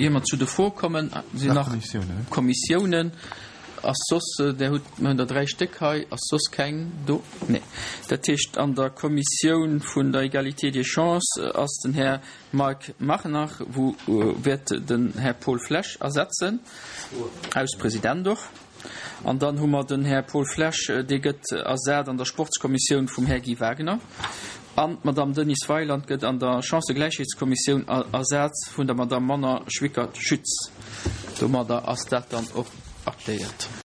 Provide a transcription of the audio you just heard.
Ier mer zu de Froe kommen, sinn nach Kommissiounen. Ass soss, Där hutt, mer hunn der 3 Stéck hei, ass soss keng do? Nee. Dat heescht, an der Kommissioun vun der Égalité des chances ass den Här Mike Machenach, wou wäert den Här Paul Flesch ersetzen, aus President och. An dann hu mer den Här Paul Flesch, dee gëtt ersat an der Sportskommissioun vum Här Guy Wagner. An d'Madame Denise Weyland gëtt an der Chancëgläichheetskommissioun ersat vun der Madame Manon Schwickert-Schütz. Domadder ass dat dann och aktéiert.